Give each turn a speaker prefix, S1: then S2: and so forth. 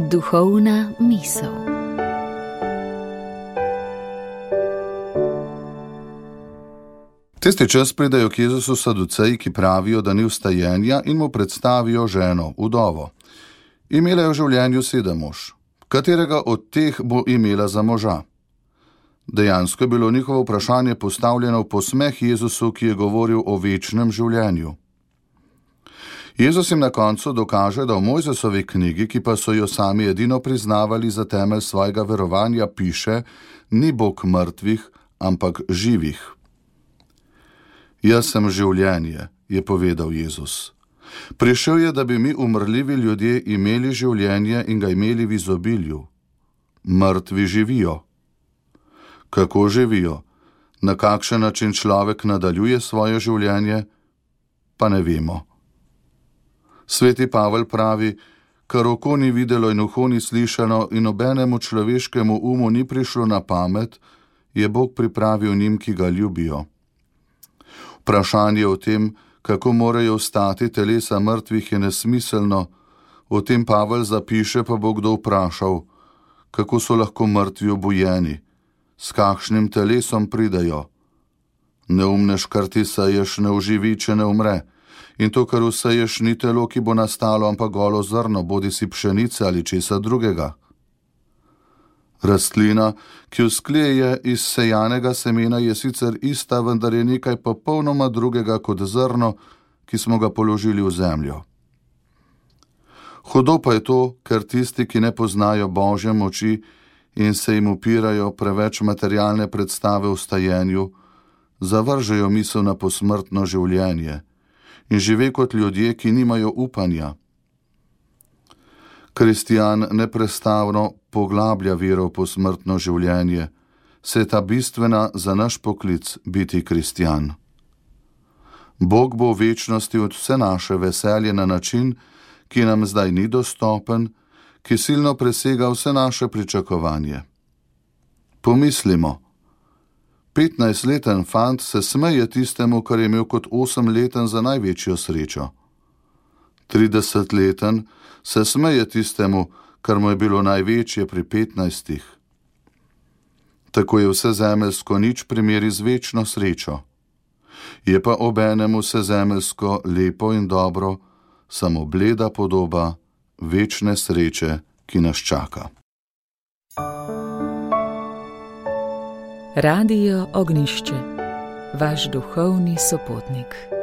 S1: Duhovna misel.
S2: Tisti čas pridejo k Jezusu saduceji, ki pravijo, da ni vstajenja, in mu predstavijo ženo, vdovo. Imela je v življenju 7 mož, katerega od teh bo imela za moža. Dejansko je bilo njihovo vprašanje postavljeno v posmeh Jezusu, ki je govoril o večnem življenju. Jezus jim na koncu dokaže, da v Mojzesovi knjigi, ki pa so jo sami edino priznavali za temelj svojega verovanja, piše: ni Bog mrtvih, ampak živih. Jaz sem življenje, je povedal Jezus. Prišel je, da bi mi umrljivi ljudje imeli življenje in ga imeli v izobilju. Mrtvi živijo. Kako živijo? Na kakšen način človek nadaljuje svoje življenje? Pa ne vemo. Sveti Pavel pravi: kar oko ni videlo in uho ni slišano in nobenemu človeškemu umu ni prišlo na pamet, je Bog pripravil njim, ki ga ljubijo. Vprašanje o tem, kako morajo vstati telesa mrtvih, je nesmiselno. O tem Pavel zapiše, pa bo kdo vprašal, kako so lahko mrtvi obujeni, s kakšnim telesom pridajo. Neumnež, kar ti seješ, ne oživi, če ne umre. In to, kar vseješ, ni telo, ki bo nastalo, ampak golo zrno, bodisi pšenice ali česa drugega. Rastlina, ki vzklije iz sejanega semena, je sicer ista, vendar je nekaj popolnoma drugega kot zrno, ki smo ga položili v zemljo. Hudo pa je to, ker tisti, ki ne poznajo Božje moči in se jim upirajo preveč materialne predstave o vstajenju, zavržejo misel na posmrtno življenje in žive kot ljudje, ki nimajo upanja. Kristjan neprestavno poglablja vero v posmrtno življenje, saj je ta bistvena za naš poklic biti kristjan. Bog bo v večnosti od vse naše veselje na način, ki nam zdaj ni dostopen, ki silno presega vse naše pričakovanje. Pomislimo, 15-leten fant se smeje tistemu, kar je imel kot 8-leten za največjo srečo. 30-leten se smeje tistemu, kar mu je bilo največje pri 15. Tako je vse zemeljsko nič primeri z večno srečo. Je pa obenem vse zemeljsko lepo in dobro, samo bleda podoba večne sreče, ki nas čaka.
S1: Radio Ognjišče, vaš duhovni sopotnik.